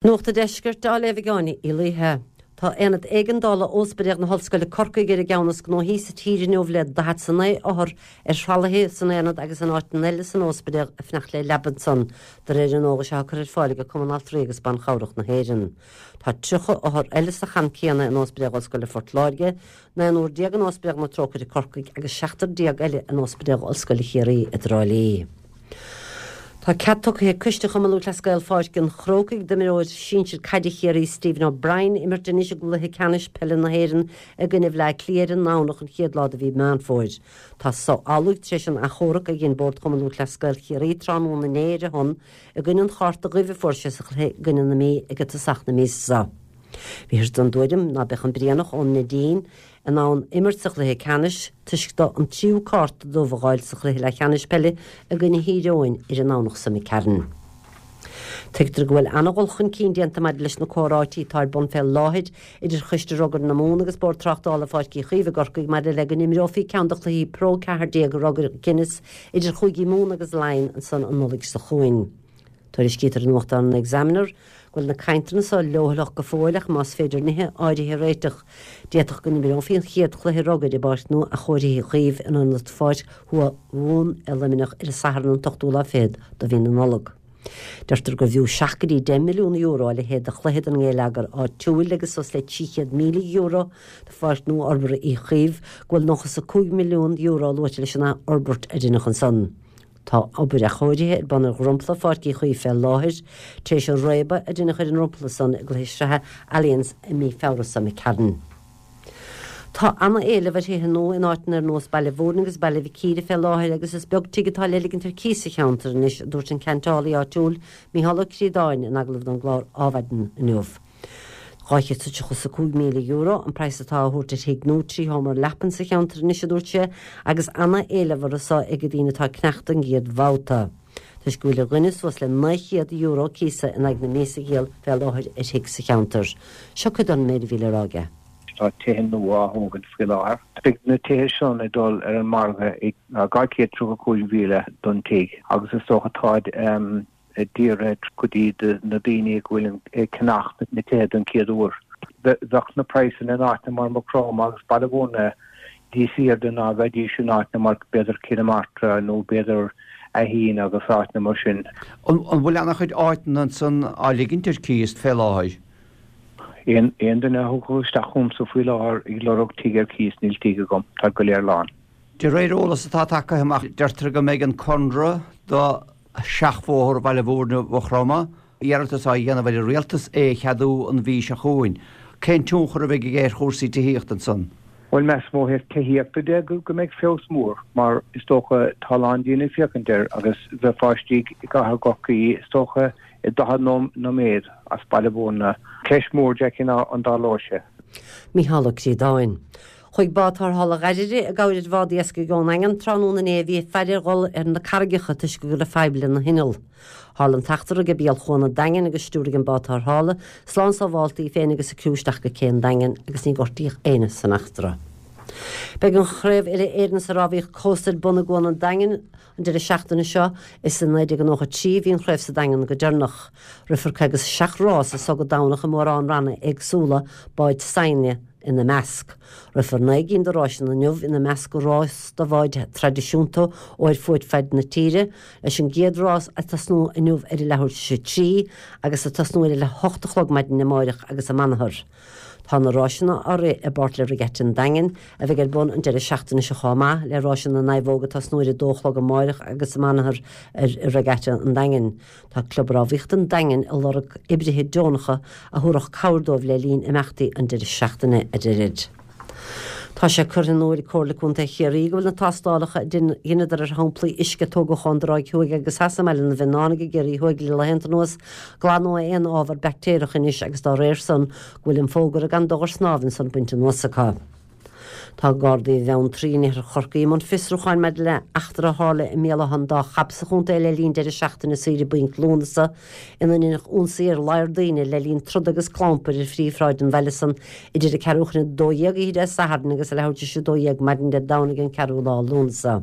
Nuacht an Deiscirt á léamh ag Áine Uí Laoithe. Tá Aonad Éigeandála Óspidéal na hOllscoile Corcaigh ar an gceann is gnóthaí sa tír inniu le 49 othar ar thralaithe san aonad agus in áiteanna eile san óspidéal ag fanacht le leaba ansan, de réir an eolais atá curtha ar fáil ag Cumann Altraí agus Ban Chabhrach na hÉireann. Tá 30 othar eile sa champ céanna in Óspidéal Ollscoile Phort Láirge, naonúr déag in Óspidéal na Trócaire Corcaigh agus seachtar déag eile in Óspidéal Ollscoile Chiarraí i dTrá Lí. Tá cead tugtha ag Coiste Chumann Lúthchleas Gael Pháirc an Chrócaigh d'imreoir sinsir caide Chiarraí Stephen O'Brien imirt anois i gcluiche ceannais peile na hÉireann i gcoinne Bhleá Cliath ar an nDomhnach an chéad lá de mhí Meán Fómhair. Tá so amhlaidh tar éis an achomharc a dhein Bord Chumann Lúthchleas Gael Chiarraí tráthnóna inné ar a shon i gcoinne an chárta dhuibh a fuair sé sa chluiche i gcoinne na Mí ag tosach na míosa seo. Bhíothas den dtuairim ná beadh an Brianach ón Neidín in ann imirt sa chluiche ceannais toisc dó an tríú cárta dubh a dh'fháil sa chluiche leathcheannais peile i gcoinne Thír Eoghain ar an nDomhnach seo imigh tharainn. Tuigtear go bhfuil ana-dhul chun cinn déanta maidir leis na comhráití atá ar bun fé láthair idir Choiste Rugair na Mumhan agus Bord Tráchtála Pháirc Uí Chaoimh i gCorcaigh maidir le go n-imreofaí ceann de chluichí Pro 14 Rugair Guinness idir Chúigí Mumhan agus Laighean ansan an Nollaig seo chugainn. Tuairiscítear i nuachtán an Examiner go bhfuil na cainteanna so leochaileach go fóill ach más féidir nithe áirithe a réiteach, d'fhéadfadh go n-imreofaí an chéad chluiche rugair i bPáirc nua athchóirithe Uí Chaoimh in ionad Pháirc Thuath Mhumhan i Luimneach ar an Satharn an t-ochtú lá fichead de mhí na Nollag. Deirtear gurbh fhiú €7 go dtí €10 milliún a leithéid de chluiche don ngéilleagar áitiúil agus suas le €300,000 do Pháirc nua-fhorbartha Uí Chaoimh go bhfuil €95 milliún luaite leis an athfhorbairt a rinneadh ansan. Tá obair athchóirithe ar bun ar dhromchla Pháirc Uí Chaoimh fé láthair, tar éis an réabadh a deineadh ar an ndromchla san i gcluiche sraithe Allianz i mí Feabhra seo imigh tharainn. Tá ana-éileamh ar thithe nua in áiteanna ar nós Baile Bhúirne agus Baile Mhic Íre fé láthair agus is beag tigh atá le ligint ar cíos sa cheantar anois, a dúirt an ceantálaí áitiúil Micheál Ó Críodáin in agallamh don gclár Adhmhaidin inniu. €235,000 an praghas atá á thabhairt ar thigh nua 3 sheomra leapan sa cheantar anois, a dúirt sé, agus ana-éileamh orthu so ag daoine atá ag ceannacht don gcéad bhabhta, toisc go bhfuil ar dhuine suas le €900 cíosa in aghaidh na míosa a dhíol fé láthair ar thigh sa cheantar. Seo cuid den méid a bhí le rá aige. Tá tithe nua á thógaint faoi láthair. Beidh na tithe sin ag dul ar an margadh ag 235,000 don tigh agus is dócha táid dírithe go dtí na daoine go bhfuil ag ceannacht na tithe don chéad uair. Bheadh na praghsanna in áiteanna mar Maigh Chromtha agus Baile Bhúirne níos airde ná bheidís in áiteanna mar b'fhéidir Cill na Martra nó b'fhéidir Fhaichín agus áiteanna mar sin. An bhfuil ana-chuid áiteanna ansan á ligint ar cíos fé láthair? Aon duine a thiocfadh isteach chugamsa faoi láthair ag lorg tigh ar cíos, níl tigh agam, táid go léir lán. De réir eolas atá tagtha amach, deirtear go mbeidh an conradh do Sheachbhóthar Bhaile Bhúirne Mhaigh Chromtha, iarratas á dhéanamh ar an Rialtas é a cheadú an mhí seo chugainn. Cén tionchar a bheidh aige ar chúrsaí tithíochta ansan? Bhuel, measaim ó thaobh tithíochta de go mbeidh feabhas mór mar is dócha tá a lán daoine ag féachaint air agus bheifeá istigh i gcathair Chorcaí is dócha i 40 nóiméad as Baile Bhúirne. Ceist mhór, Jackie, ná an dtarlóidh sé. Mícheál Ó Críodáin. Chuaigh bád tarrthála Dhairire i gcabhair ar bhád iascaigh ón nDaingean tráthnóna inné a bhí ag faire a dhul ar na carraigeacha toisc go raibh fadhb lena hinneall. Tharla an t-eachtra ag béal Chuan an Daingin agus stiúraigh an bád tarrthála slán sábhálta í féin agus a criú isteach go cé an Daingin agus ní gortaíodh éinne san eachtra. Beidh an Chraobh Uile-Éireann sa Rámhaíocht Cósta ar bun i gCuan an Daingin An deireadh seachtaine seo, is i 1993 a bhí an chraobh sa Daingean go deireanach. Rithfear 57 rás as so go Domhnach i mórán ranna éagsúla, báid saighne ina measc. Rithfear 9 gcinn de ráiseanna inniu, ina measc rás do bháid traidisiúnta ó ar fuaid faid na tíre, leis an gcéad rás ag tosnú inniu ar a leathuair tar éis a 3 agus ag tosnú ar a leath 8 a chlog maidin amáireach agus amanathar. Tá na ráiseanna á rith i bpáirt le Regatta an Daingin, a bheidh ar bun an deireadh seachtaine seo chomh maith, le ráiseanna na naomhóg ag tosnú ar 2 a chlog amáireach agus amanathar ar Regatta an Daingin. Tá Club Rámhaíochta an Daingin ag lorg oibrithe deonacha a thabharfadh cabhair dóibh le linn imeachtaí an deireadh seachtaine, a deirid. Tá sé curtha in iúl ag Comhairle Contae Chiarraí go bhfuil na tástálacha a dheineadar ar shamplaí uisce a tógadh ón dTráigh Thuaidh agus Theas i mBaile na bhFíonnánach i gCiarraí Thuaidh le laethanta anuas glan ó aon ábhar baictéarach anois agus dá réir san go bhfuil an fógra gan dul ar snámh ansan bainte anuas acu. Tá Gardaí Bheanntraí in iarthar Chorcaí i mbun fiosrúcháin maidir le heachtra a tharla i mBéal Átha an Dá Chab sa chontae le linn deireadh seachtaine saoire bainc Lúnasa ina ndeineadh ionsaí ar ladhar daoine le linn troda agus clampair ar phríomhshráid an bhaile san idir a ceathrú chun 12 oíche Dé Sathairn agus a leathuair tar éis 12 maidin Dé Domhnaigh an ceathrú lá Lúnasa.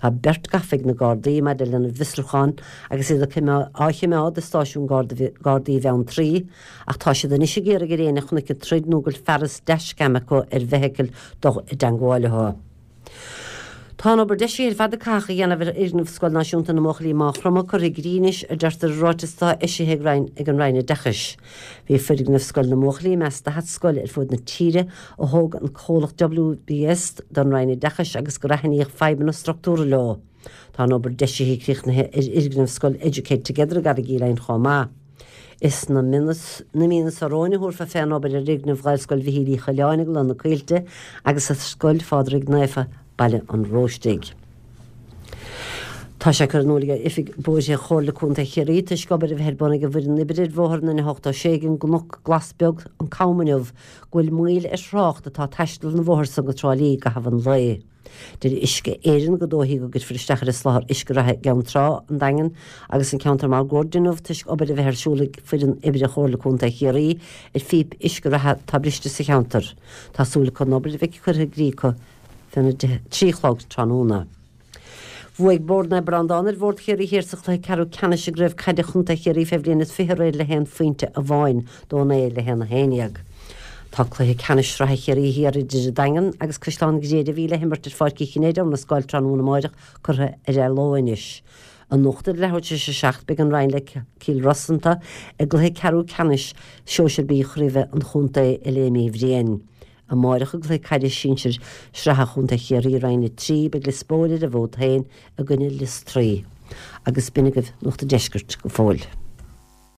Tá beirt gafa ag na Gardaí maidir lena bhfiosrúchán agus iad á choimeád i stáisiún Gardaí Bheanntraí ach tá siad anois ag iarraidh ar éinne a chonaic an troid nó go bhfuil fearas dashcam acu ar bhfeithicil dul i dteangmháil leo. Tá an obair deisithe ar fad a caitheadh a dhéanamh ar fhoirgneamh Scoil Náisiúnta na mBuachaillí Maigh Chromtha curtha i gcrích anois, a deirtear i ráiteas atá eisithe ag an Roinn Oideachais. Bhí foirgneamh Scoil na mBuachaillí i measc 40 scoil ar fud na tíre a thóg an comhlacht WBS don Roinn Oideachais agus gur aithníodh fadhbanna struchtúrtha leo. Tá an obair deisithe críochnaithe ar fhoirgneamh Scoil Educate Together i gCarraig Uí Leighin chomh maith. Is sna míonna seo romhainn a thabharfar fén obair ar fhoirgneamh Ghaelscoil Mhichíl Uí Choileáin i gCloich na Coillte agus ar Scoil Phádraig Naofa, Baile an Róistigh. Tá sé curtha in iúl ag Oifig Bóithre Chomhairle Contae Chiarraí toisc obair a bheith ar bun ag an bhfoireann oibre ar bhóthar an N86 ag an gCnoc Glas Beag, An Cam inniu, go bhfuil moill ar thrácht atá ag taisteal an bhóthair san go Trá Lí i gcaitheamh an lae. Deir Uisce Éireann go dóichí go gcuirfear isteach ar an soláthar uisce reatha i gCeann Trá, an Daingean agus an ceantar máguaird inniu toisc obair a bheith ar siúl ag foireann oibre Chomhairle Contae Chiarraí ar phíopa uisce reatha atá briste sa cheantar. Tá súil acu an obair a bheith curtha i gcrích acu féna 3 a chlog tráthnóna. Bhuaigh Bord Naomh Breandán ar Bhord Chiarraí Thiar sa chluiche ceathrú ceannais i gCraobh Caide Chontae Chiarraí fé bhliain is 20 aréir le haon phointe amháin, 2-9 le 1 11. Tá cluiche ceannais sraithe Chiarraí Thiar idir an Daingean agus Caisleán Ghriaire a bhí le himirt ar Pháirc Uí Chinnéide i Murascaill tráthnóna amáireach curtha ar athló anois. Anocht ar leathuair tar éis a 7 beidh an Rinn le Cill Rosanta i gcluiche ceathrú ceannais Sóisir B Chraoibhe an Chontae i Léim Uí Bhriain. Amáireach i gcluiche caide sinsir sraithe Chontae Chiarraí Roinn 3, beidh Lios Póil ar an bhfód féin i gcoinne Lios Tuí. Agus b'in agaibh Nuacht an Deiscirt go fóill.